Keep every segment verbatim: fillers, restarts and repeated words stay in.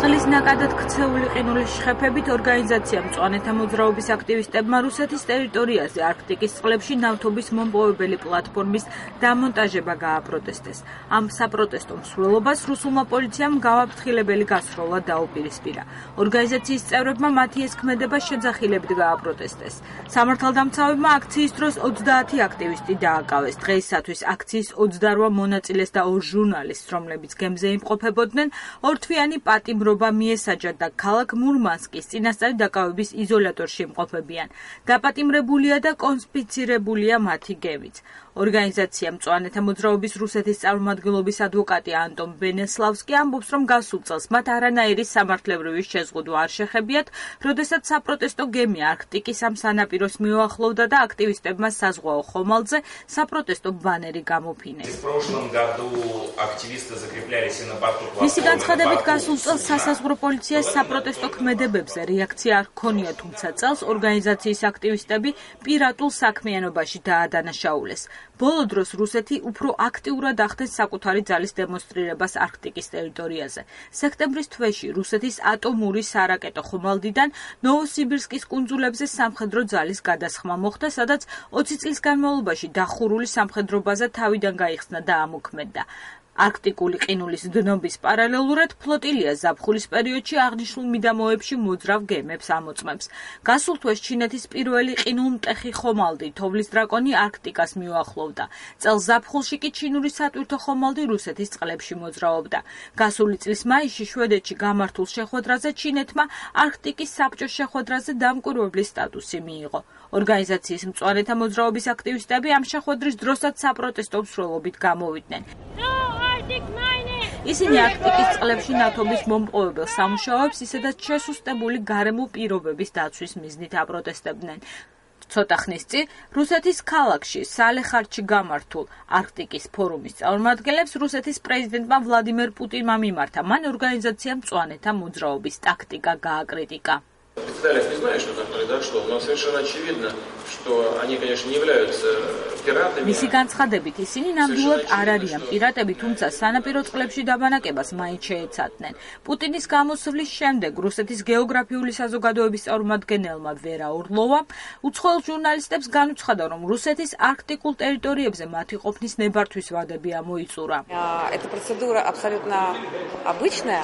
წყლის ნაკადად ქცეული ყინულის შეხედებით ორგანიზაცია მწვანეთა მოძრაობის აქტივისტებმა რუსეთის ტერიტორიაზე არქტიკის წყლებში ნავთობის მომპოვებელი პლატფორმის დამონტაჟება გააპროტესტეს. Ამ საპროტესტო მსვლელობას რუსულმა პოლიციამ გავაფრთხილებელი გასროლა დაუპირისპირა. ორგანიზაციის წევრებმა მათი ეს ქმედება შეძახილებით გააპროტესტეს. სამართალდამცავებმა აქციის დროს ოცდაათი აქტივისტი დააკავეს. დღეისათვის აქციის ოცდაორ მონაწილეს და ორ ჟურნალისტს, რომლებიც გემზე იმყოფებოდნენ, ორთვიანი პატიმრობა მიესაჯათ და ქალაქ მურმანსკის წინასწარი დაკავების იზოლატორში იმყოფებიან. დაპატიმრებულია და კონსპიცირებულია მათი გემიც. ორგანიზაცია მწვანეთა მოძრაობის რუსეთის წარმომადგენლობის ადვოკატი ანტონ ბენესლავსკი ამბობს, რომ გასულ წელს მათ არანაირი სამართლებრივი შეზღუდვა არ შეხებიათ, როდესაც საპროტესტო გემი არქტიკის ამ სანაპიროს მიუახლოვდა და აქტივისტებმა საზღვაო ხომალდზე საპროტესტო ბანერი გამოფინეს. მისი განცხადებით გასულ წელს სასაზღვრო პოლიციას საპროტესტო ქმედებებზე რეაქცია არ ჰქონია, თუმცა წელს ორგანიზაციის აქტივისტები პირატულ საქმიანობაში დაადანაშაულეს. ბოლო დროს რუსეთი უფრო აქტიურად ახდენს საკუთარი ძალის დემონსტრირებას არქტიკის ტერიტორიაზე. სექტემბრის თვეში რუსეთის ატომური სარაკეტო ხომალდიდან ნოვოსიბირსკის კუნძულებზე სამხედრო ძალის გადასხმა მოხდა, სადაც ოცი წლის განმავლობაში დახურული სამხედრო ბაზა თავიდან გაიხსნა და ამოქმედდა. არქტიკული ყინულის დნობის პარალელურად ფლოტილია ზაფხულის პერიოდში აღნიშნულ მიდამოებში მოძრავ გემებს ამოწმებს. გასულ თვეს ჩინეთის პირველი ყინულმტეხი ხომალდი თოვლის დრაკონი არქტიკას მიუახლოვდა. წელს ზაფხულში კი ჩინური სატვირთო ხომალდი რუსეთის წყლებში მოძრაობდა. გასული წლის მაისში შვედეთში გამართულ შეხვედრაზე ჩინეთმა არქტიკის საბჭოს შეხვედრაზე დამკვირვებლის სტატუსი მიიღო. ორგანიზაციის მწვანეთა მოძრაობის აქტივისტები ამ შეხვედრის დროსაც საპროტესტო მსვლელობით გამოვიდნენ. ისინი არქტიკის წყლებში ნავთობის მომპოვებელ სამუშაოებს ისედაც შესუსტებული გარემო პირობების დაცვის მიზნით აპროტესტებდნენ. ცოტა ხნის წინ რუსეთის ქალაქში სალეხარდში გამართულ არქტიკის ფორუმის წარმომადგენლებს რუსეთის პრეზიდენტმა ვლადიმერ პუტინმა მიმართა. მან ორგანიზაცია მწვანეთა მოძრაობის ტაქტიკა გააკრიტიკა. Специалист не знает, что там произошло, но совершенно очевидно, что они, конечно, не являются пиратами. მისი განცხადებით ისინი ნამდვილად არ არიან პირატები, თუმცა სანაპირო წყლებში დაბანაკებას მაინც შეეცადნენ. პუტინის გამოსვლის შემდეგ რუსეთის გეოგრაფიული საზოგადოების წარმომადგენელმა ვერა ორლოვამ უცხოელ ჟურნალისტებს განუცხადა, რომ რუსეთის არქტიკულ ტერიტორიებზე მათი ყოფნის ნებართვის ვადები ამოიწურა. Эта процедура абсолютно обычная.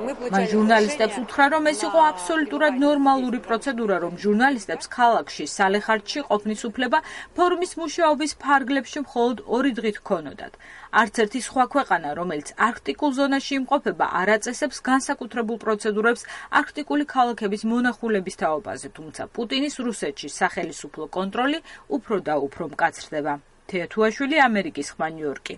მან ჟურნალისტებს უთხრა, რომ ეს იყო აბსოლუტურად ნორმალური პროცედურა, რომ ჟურნალისტებს ქალაქში სალეხარდში ყოფნის უფლება ფორუმის მუშაობის ფარგლებში მხოლოდ ორი დღით ჰქონოდათ. არც ერთი სხვა ქვეყანა, რომელიც არქტიკულ ზონაში იმყოფება, არ აწესებს განსაკუთრებულ პროცედურებს არქტიკული ქალაქების მონახულების თაობაზე, თუმცა პუტინის რუსეთში სახელისუფლო კონტროლი უფრო და უფრო მკაცრდება. თეათუაშვილი, ამერიკის ხმა, ნიუ-იორკი.